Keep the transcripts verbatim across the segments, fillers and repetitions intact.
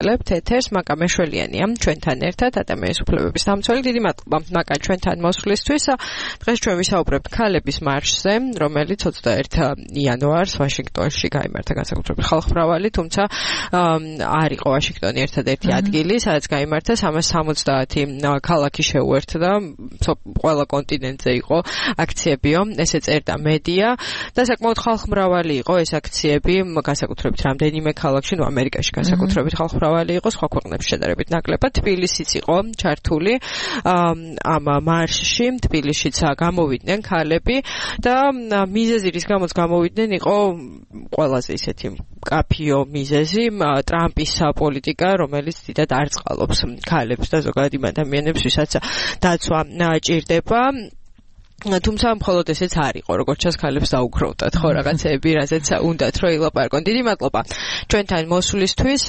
ვაგრძელებთ ეთერს. მაკა მეშველიანია ჩვენთან ერთად, ადამიანის უფლებების დამცველი. დიდი მადლობა მაკა ჩვენთან მოსვლისთვის. დღეს ჩვენ ვისაუბრებთ ქალების მარშზე, რომელიც ოცდაერთი იანვარს ვაშინგტონში გაიმართა, განსაკუთრებით ხალხმრავალი, თუმცა არ იყო ვაშინგტონი ერთადერთი ადგილი, სადაც გაიმართა. სამას სამოცდაათი ქალაქი შეუერთდა, ყველა კონტინენტზე იყო აქციებიო, ესე წერდა მედია და საკმაოდ ხალხმრავალი იყო ეს აქციები, განსაკუთრებით რამდენიმე ქალაქში, ნუ ამერიკაში განსაკუთრებით ხალხმრავალი იყო, სხვა ქვეყნებში შედარებით ნაკლებად. თბილისიც იყო ჩართული ამ მარშში, თბილისშიც გამოვიდნენ ქალები და მიზეზი, რის გამოც გამოვიდნენ, იყო ყველაზე ისეთი კაფიო მიზეზი, ტრამპის პოლიტიკა, რომელიც დიდად არწყალობს ქალებს და ზოგადად იმ ადამიანებს, ვისაც დაცვა ჭირდება. თუმცა მხოლოდ ესეც არ იყო, როგორც ჩანს ქალებს დაუგროვდათ, ხო, რაღაცეები, რაზეც უნდათ რომ ილაპარაკონ. დიდი მადლობა ჩვენთან მოსვლისთვის.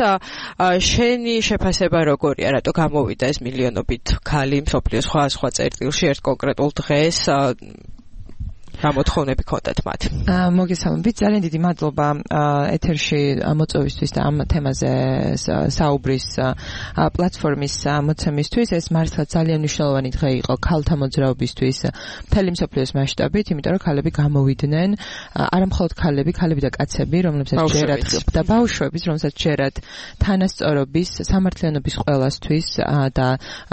შენი შეფასება როგორია, რატო გამოვიდა ეს მილიონობით ქალი მსოფლიოს სხვა სხვა წერტილში ერთ კონკრეტულ დღეს? გამოთხოვნები ქონდათ მათ. მოგესალმებით, ძალიან დიდი მადლობა ეთერში მოწვევისთვის და ამ თემაზე საუბრის პლატფორმის მოცემისთვის. ეს მართლა ძალიან მნიშვნელოვანი დღე იყო ქალთა მოძრაობისთვის მთელი მსოფლიოს მასშტაბით, იმიტომ რომ ქალები გამოვიდნენ, არა მხოლოდ ქალები, ქალები და კაცები, რომლებსაც ჯერათ და ბავშვებიც, რომლებსაც ჯერათ თანასწორობის, სამართლიანობის ყველასთვის და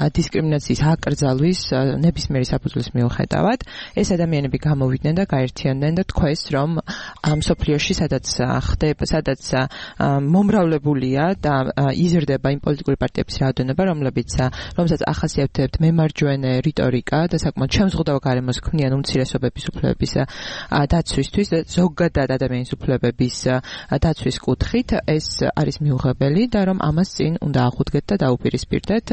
დისკრიმინაციის აკრძალვის ნებისმიერი საფუძვლის მიუხედავად, ეს ადამიანები გამოვიდნენ და გაერთიანდნენ და თქვეს, რომ მსოფლიოში სადაც ხდება, სადაც მომრავლებულია და იზრდება იმ პოლიტიკური პარტიების რაოდენობა, რომლებიც რომელსაც ახასიათებთ მემარჯვენე რიტორიკა და საკმაოდ შემზღუდავ გარემოს ქმნიან უმცირესობების უფლებების დაცვისთვის და ზოგადად ადამიანის უფლებების დაცვის კუთხით, ეს არის მიუღებელი და რომ ამას წინ უნდა აღუდგეთ და დაუპირისპირდეთ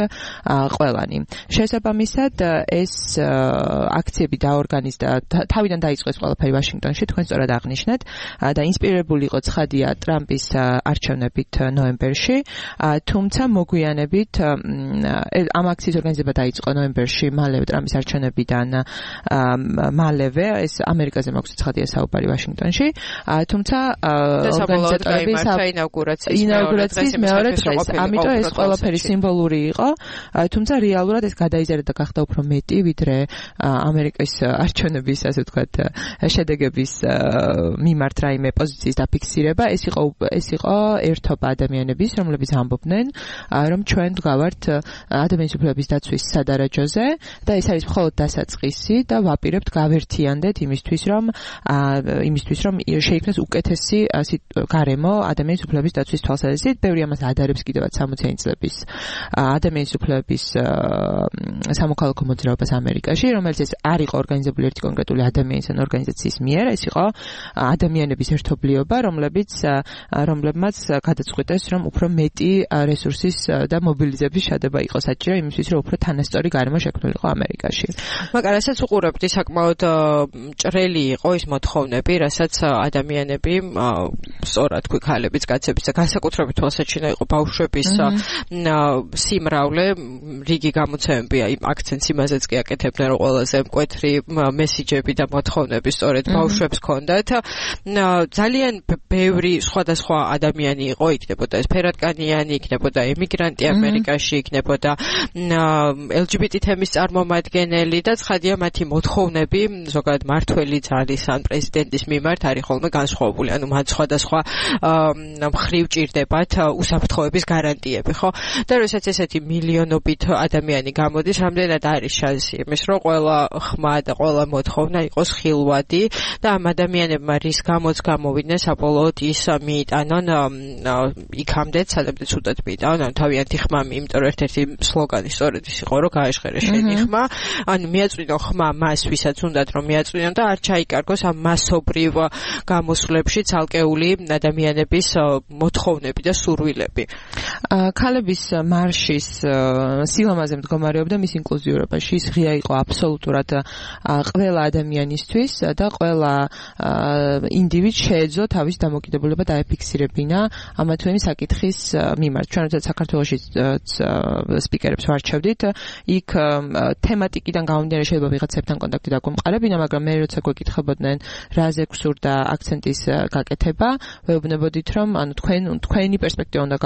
ყველანი. შესაბამისად, ეს აქციები დაორგანიზდა თავიდან დაიწყეს ყველაფერი ვაშინგტონში, თქვენ სწორად აღნიშნეთ და ინსპირირებული იყო ცხადია ტრამპის არჩევნებით ნოემბერში, თუმცა მოგვიანებით ამ აქციის ორგანიზება დაიწყო ნოემბერში, მალევე ტრამპის არჩევნებიდან მალევე, ეს ამერიკაზე მაქვს ცხადია საუბარი ვაშინგტონში, თუმცა ორგანიზატორები ინაუგურაციის მეორე დღეს, ამიტომ ეს ყველაფერი სიმბოლური იყო, თუმცა რეალურად ეს გადაიზარდა და გახდა უფრო მეტი, ვიდრე ამერიკის არჩევნების, ასე ვთქვათ, შედეგების მიმართ რაიმე პოზიციის დაფიქსირება. ეს იყო ეს იყო ერთობა ადამიანების, რომლებიც ამბობდნენ, რომ ჩვენ ვდგავართ ადამიანის უფლებების დაცვის სადარაჯოზე და ეს არის მხოლოდ დასაწყისი და ვაპირებთ გავერთიანდეთ იმისთვის, რომ იმისთვის, რომ შეიქმნას უკეთესი გარემო ადამიანის უფლებების დაცვის თვალსაზრისით. ბევრი ამას ადარებს კიდევაც სამოციანი წლების ადამიანის უფლებების სამოქალაქო მოძრაობას ამერიკაში, რომელიც ეს არ იყო ორგანიზებული ერთი კონკრეტული ადამიანის ან ორგანიზაციის მიერ, ეს იყო ადამიანების ერთობლიობა, რომლებიც რომლებმაც გადაწყვიტეს, რომ უფრო მეტი რესურსის და მობილიზების შადება იყო საჭირო იმისთვის, რომ უფრო თანასწორი გარემო შექმნილიყო ამერიკაში. მაგრამ რასაც უყურებდი, საკმაოდ ჭრელი იყო ის მოთხოვნები, რასაც ადამიანები, სწორად თქვი, ქალებიც, კაცებიც და განსაკუთრებით თვალსაჩინო იყო ბავშვების სიმრავლე, რიგი გამოცემები, იმ აქცენტს იმაზეც კი აკეთებდნენ, რომ ყველაზე მკვეთრი მესიჯები და მოთხოვნები სწორედ ბავშვებს ჰქონდათ. ძალიან ბევრი სხვადასხვა ადამიანი იყო, იქნებოდა ეს ფერადკანიანი, იქნებოდა ემიგრანტი ამერიკაში, იქნებოდა ელ ჯი ბი ტი თემის წარმომადგენელი და ცხადია მათი მოთხოვნები ზოგადად მართველი ძალის ან პრეზიდენტის მიმართ არის ხოლმე განსხვავებული. ანუ მათ სხვადასხვა მხრივ ჭირდებათ უსაფრთხოების გარანტიები, ხო? და როდესაც ესეთი მილიონობით ადამიანი გამოდის, რამდენად არის შანსი იმის, რომ ყველა ხმა და ყველა მოთხოვნა იყოს ხილვადი და ამ ადამიანებმა რის გამოც გამოვიდნენ, საბოლოოდ ის მიიტანონ იქამდეც, სადაც უდად მიიტანონ, ანუ თავიანთი ხმა, იმიტომ რომ ერთ-ერთი სლოგანი სწორედ ის იყო, რომ გაეშხერე შენი ხმა, ანუ მიაწვინო ხმა მას, ვისაც უნდათ რომ მიაწვინონ და არ ჩაიკარგოს ამ მასობრივ გამოსვლებში ცალკეული ადამიანების მოთხოვნები და სურვილები. ქალების მარშის სილამაზე მდგომარეობდა მის ინკლუზიურობაში, ის ღია იყო აბსოლუტურად ყველა ადამიანი ადამიანისთვის და ყველა ინდივიდს შეეძლო თავის დამოკიდებულება დაეფიქსირებინა ამა თუ იმ საკითხის მიმართ. ჩვენ როდესაც საქართველოში სპიკერებს ვარჩევდით, იქ თემატიკიდან გამომდინარე შეიძლება ვიღაცებთან კონტაქტი დაგვემყარებინა, მაგრამ მე როცა გვეკითხებოდნენ რაზე გსურდა აქცენტის გაკეთება, ვეუბნებოდით, რომ ანუ თქვენ თქვენი პერსპექტივა უნდა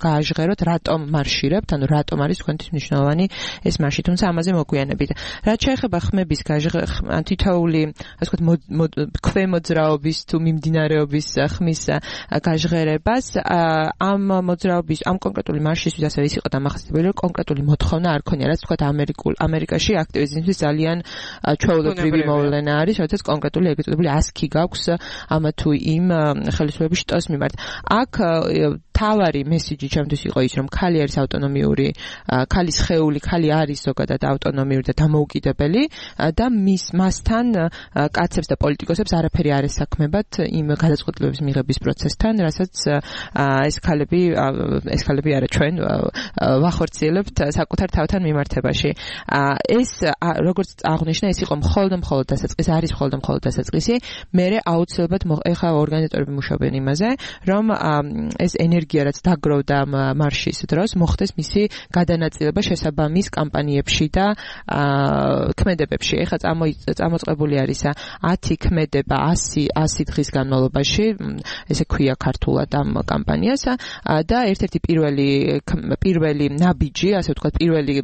გააჟღეროთ, რატომ მარშირებთ, ანუ რატომ არის თქვენთვის მნიშვნელოვანი ეს მარში, თუმცა ამაზე მოგვიანებით. რაც შეეხება ხმების გაჟღერება, ან თითოეული, ასე ვთქვათ, ქვემოძრაობის თუ მიმდინარეობის ხმის გაჟღერებას, ამ მოძრაობის, ამ კონკრეტული მარშისთვის ასევე ის იყო დამახასიათებელი, რომ კონკრეტული მოთხოვნა არ ქონია, რაც ვთქვათ, ამერიკულ ამერიკაში აქტივიზმისთვის ძალიან ჩვეულებრივი მოვლენა არის, როდესაც კონკრეტული ეგრეთ წოდებული ასკი გაქვს ამ თუ იმ ხელისუფლების შტოს მიმართ. აქ თავარი მესიჯი ჩემთვის იყო ის, რომ ქალი არის ავტონომიური, ქალის სხეული, ქალი არის ზოგადად ავტონომიური და დამოუკიდებელი და მის მასთან კაცებს და პოლიტიკოსებს არაფერი არ ესაქმებათ იმ გადაწყვეტილებების მიღების პროცესთან, რასაც ეს ქალები ეს ქალები არა ჩვენ ვახორციელებთ საკუთარ თავთან მიმართებაში. ეს როგორც აღნიშნა, ეს იყო მხოლოდ მხოლოდ დასაწყისი, არის მხოლოდ მხოლოდ დასაწყისი. მერე აუცილებლად ეხლა ორგანიზატორები მუშაობენ იმაზე, რომ ეს ენერგია რაც დაგროვდა მარშის დროს მოხდეს მისი გადანაწილება შესაბამის კამპანიებში და ქმედებებში. ეხლა წამოწყებული არის ათი ქმედება ასი დღის განმავლობაში, ესე ქვია ქართულად ამ კამპანიას და ერთ-ერთი პირველი პირველი ნაბიჯი, ასე ვთქვათ, პირველი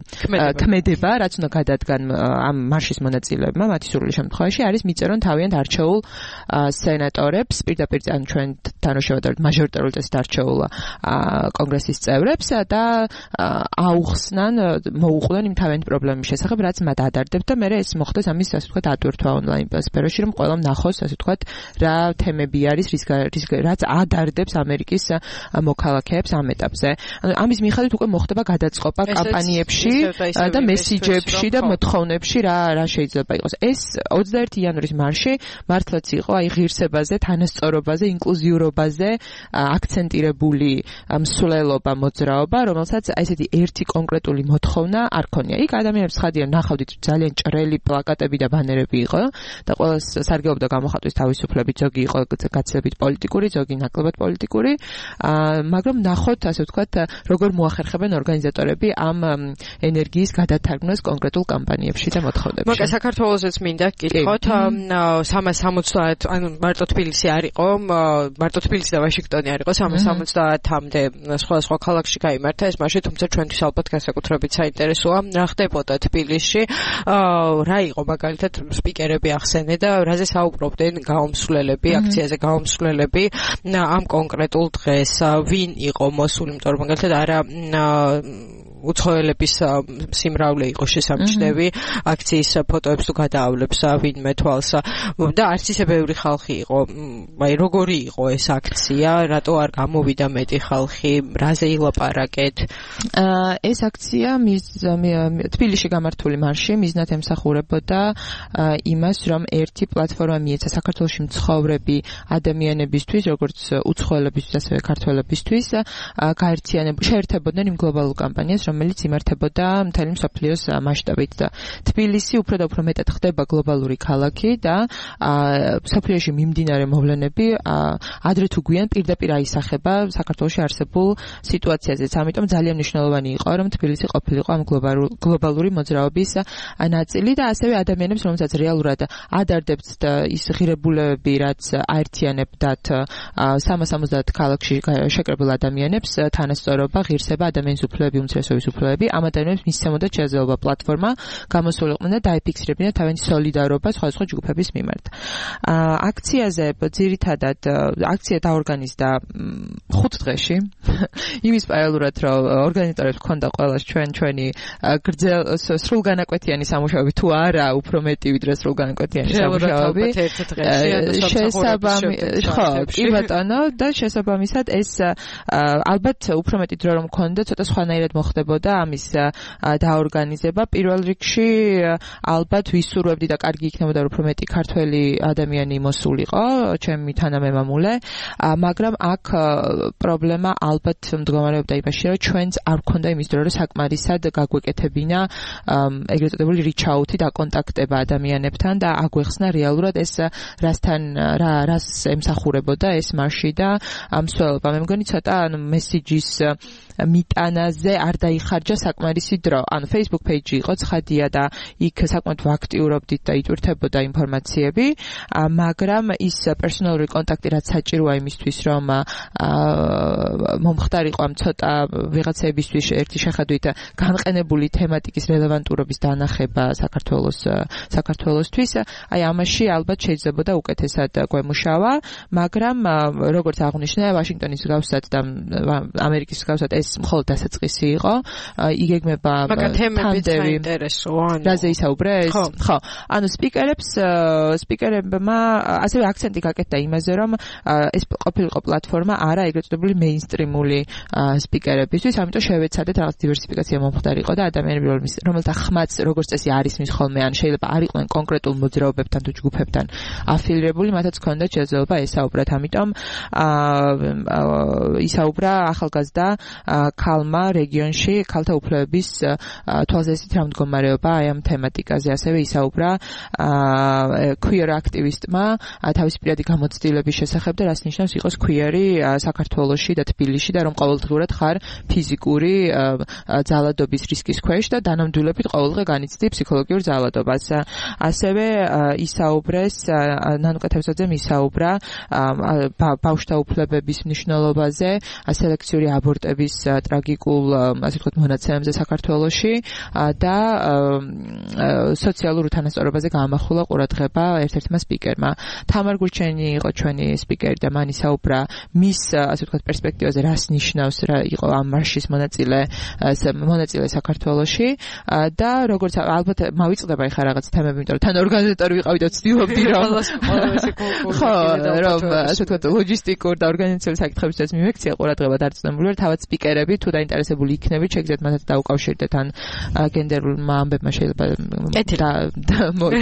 ქმედება, რაც უნდა გადადგან ამ მარშის მონაწილეებმა, მათი სრული შემთხვევაში არის მიწერონ თავიანთ არჩეულ სენატორებს, პირდაპირ ან ჩვენ თანაშევადარებთ მაჟორიტარულ წესით არჩეულ კონგრესის წევრებს და აუხსნან, მოუყვნენ იმ თავიანთ პრობლემების შესახებ, რაც მათ ადარდებთ და მე ეს მოხდეს ამის, ასე ვთქვათ, ატვირთვა ონლაინ სფეროში, რომ ყველამ ნახოს, ასე ვთქვათ, რა თემები არის, რის რაც ადარდებს ამერიკის მოქალაქეებს ამ ეტაპზე. ანუ ამის მიხედვით უკვე მოხდება გადაწყობა კამპანიებში და მესიჯებში და მოთხოვნებში რა რა შეიძლება იყოს. ეს ოცდაერთი იანვრის მარში მართლაც იყო აი ღირსებაზე, თანასწორობაზე, ინკლუზიურობაზე აქცენტირებული მსვლელობა, მოძრაობა, რომელსაც ესეთი ერთი კონკრეტული მოთხოვნა არ ქონია. იქ ადამიანებს ხადია ნახავდით ძალიან ჭრელი პლაკატები და ბანერები იყო და ყველა სარგებლობდა გამოხატვის თავისუფლებით, ზოგი იყო გაცილებით პოლიტიკური, ზოგი ნაკლებად პოლიტიკური, მაგრამ ნახოთ, ასე ვთქვათ, როგორ მოახერხებენ ორგანიზატორები ამ ენერგიის გადათარგმნას კონკრეტულ კამპანიებში და მოთხოვნებში. მაგა საქართველოსაც მინდა გკითხოთ, სამას სამოცდაათ, ანუ მარტო თბილისი არ იყო, მარტო თბილისი და ვაშინგტონი არ იყო, სამას სამოცდაათამდე სხვა სხვა ქალაქში გაიმართა ეს მარში, თუმცა ჩვენთვის ალბათ განსაკუთრებით საინტერესოა რა ხდებოდა თბილისში, რა იყო მაგალითად სპიკერები ახსენე და რაზე საუბრობდნენ გაუმსვლელები, აქციაზე გაუმსვლელები ამ კონკრეტულ დღეს, ვინ იყო მოსული, იმიტომ რომ მაგალითად არა უცხოელების სიმრავლე იყო შესამჩნევი აქციის ფოტოებს თუ გადაავლებს ვინმე თვალს და არც ისე ბევრი ხალხი იყო. აი როგორი იყო ეს აქცია, რატო არ გამოვიდა მეტი ხალხი, რაზე ილაპარაკეთ? ეს აქცია თბილისში გამართული მარში მიზნად ემსახურებოდა იმას, რომ ერთი პლატფორმა მიეცა საქართველოში მცხოვრები ადამიანებისთვის, როგორც უცხოელებისთვის, ასევე ქართველებისთვის, გაერთიანებოდნენ, შეერთებოდნენ იმ გლობალურ კამპანიას, რომელიც იმართებოდა მთელი მსოფლიოს მასშტაბით და თბილისი უფრო და უფრო მეტად ხდება გლობალური ქალაქი და მსოფლიოში მიმდინარე მოვლენები ადრე თუ გვიან პირდაპირ აისახება საქართველოში არსებულ სიტუაციაზეც. ამიტომ ძალიან მნიშვნელოვანი იყო, რომ თბილისი ყოფილიყო ამ გლობალური მოძრაობის ნაწილი და ასევე ადამიანებს, რომელსაც რეალურად ადარდებთ ის ღირებულებები, რაც აერთიანებდათ სამას სამოცდაათ ქალაქში შეკრებილ ადამიანებს, თანასწორობა, ღირსება, ადამიანის უფლებები, უმცირესობის უფლებები, ამ ადამიანებს მისცემოდა შესაძლებლობა პლატფორმა გამოსულიყვნენ და დაეფიქსირებინა თავიანთი სოლიდარობა სხვადასხვა ჯგუფების მიმართ. აქციაზე ძირითადად აქცია დაორგანიზდა ხუთ დღეში. იმის პარალელურად, რომ ორგანიზატორებს ჰქონდა ყველას ჩვენ ჩვენი გრძელ სრულგანაკვეთიანი სამუშაოები თუ არა, უფრო მეტი ვიდრე სრულგანაკვეთიანი სამუშაოები. შესაბამი ხო, კი ბატონო და შესაბამისად ეს ალბათ უფრო მეტი დრო რომ ჰქონდა, ცოტა სხვანაირად მოხდება ეხმარებოდა ამის დაორგანიზება. პირველ რიგში ალბათ ვისურვებდი და კარგი იქნებოდა რომ უფრო მეტი ქართველი ადამიანი მოსულიყო, ჩემი თანამემამულე, მაგრამ აქ პრობლემა ალბათ მდგომარეობდა იმაში, რომ ჩვენც არ გვქონდა იმის დრო, რომ საკმარისად გაგვეკეთებინა ეგრეთ წოდებული reach-out-ი და კონტაქტება ადამიანებთან და აგვეხსნა რეალურად ეს რასთან რა რას ემსახურებოდა ეს მარში და მსვლელობა. მე მგონი ცოტა ანუ მესიჯის მიტანაზე არ დაიხარჯა საკმარისი დრო. ანუ Facebook page-ი იყო ცხადია და იქ საკმაოდ ვაქტიურობდით და იტვირთებოდა ინფორმაციები, მაგრამ ის პერსონალური კონტაქტი რაც საჭიროა იმისთვის, რომ მომხდარიყო ამ ცოტა ვიღაცებისთვის ერთი შეხედვით განყენებული თემატიკის რელევანტურობის დანახება საქართველოს საქართველოსთვის, აი ამაში ალბათ შეიძლებოდა უკეთესად გვემუშავა, მაგრამ როგორც აღნიშნე, ვაშინგტონის მსგავსად და ამერიკის მსგავსად ეს მხოლოდ დასაწყისი იყო. იგეგმება თემები საინტერესოა. რაზე ისაუბრეს? ხო. ანუ სპიკერებს სპიკერებმა ასევე აქცენტი გაკეთდა იმაზე, რომ ეს ყოფილიყო პლატფორმა არა ეგრეთ წოდებული მეინსტრიმული სპიკერებისთვის, ამიტომ შევეცადეთ რაღაც დივერსიფიკაცია მომხდარიყო და ადამიანები რომელთა ხმაც როგორც წესი არის მის ხოლმე, ან შეიძლება არ იყვნენ კონკრეტულ მოძრაობებთან თუ ჯგუფებთან აფილირებული, მათაც ჰქონდათ შესაძლებლობა ესაუბრათ. ამიტომ ისაუბრა ახალგაზრდა ქალმა რეგიონში ქალთა უფლებების თვალსაზრისით რა მდგომარეობა აი ამ თემატიკაზე. ასევე ისაუბრა queer აქტივისტმა თავისი პირადი გამოცდილების შესახებ და რას ნიშნავს იყოს queer-ი საქართველოში და თბილისში და რომ ყოველდღურად ხარ ფიზიკური ძალადობის რისკის ქვეშ და დანამდვილებით ყოველდღე განიცდი ფსიქოლოგიურ ძალადობას. ასევე ისაუბრეს ნანუკა თევზაძემ ისაუბრა ბავშვთა უფლებების მნიშვნელობაზე, სელექციური აბორტების ტრაგიკულ ასე ვთქვათ მონაცემებზე საქართველოში და სოციალურ უთანასწორობაზე გაამახვილა ყურადღება ერთ-ერთმა სპიკერმა. თამარ გურჩენი იყო ჩვენი სპიკერი და მან ისაუბრა მის ასე ვთქვათ პერსპექტივაზე, რას ნიშნავს რა იყო ამ მარშის მონაწილე მონაწილე საქართველოში და როგორც ალბათ მავიწყდება ახლა რაღაც თემები, იმიტომ რომ თან ორგანიზატორი ვიყავი და ვცდილობდი რომ ხო რომ ასე ვთქვათ ლოჯისტიკურ და ორგანიზაციული საკითხებისათვის მიმექცია ყურადღება დარწმუნებული ვარ, თავად სპიკერები თუ დაინტერესებული იქნებით, შეგიძლიათ მათაც დაუკავშირდეთ ან გენდერულმა ამბებმა შეიძლება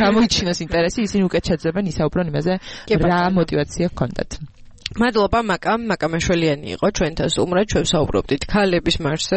გამოიჩინოს ინტერესი, ისინი უკეთ შეძლებენ ისაუბრონ იმაზე რა мотивация ჰქონდათ. მადლობა მაკამ, მაკა მეშველიანი იყო ჩვენთან სტუმრად, ჩვენ საუბრობდით ქალების მარშზე.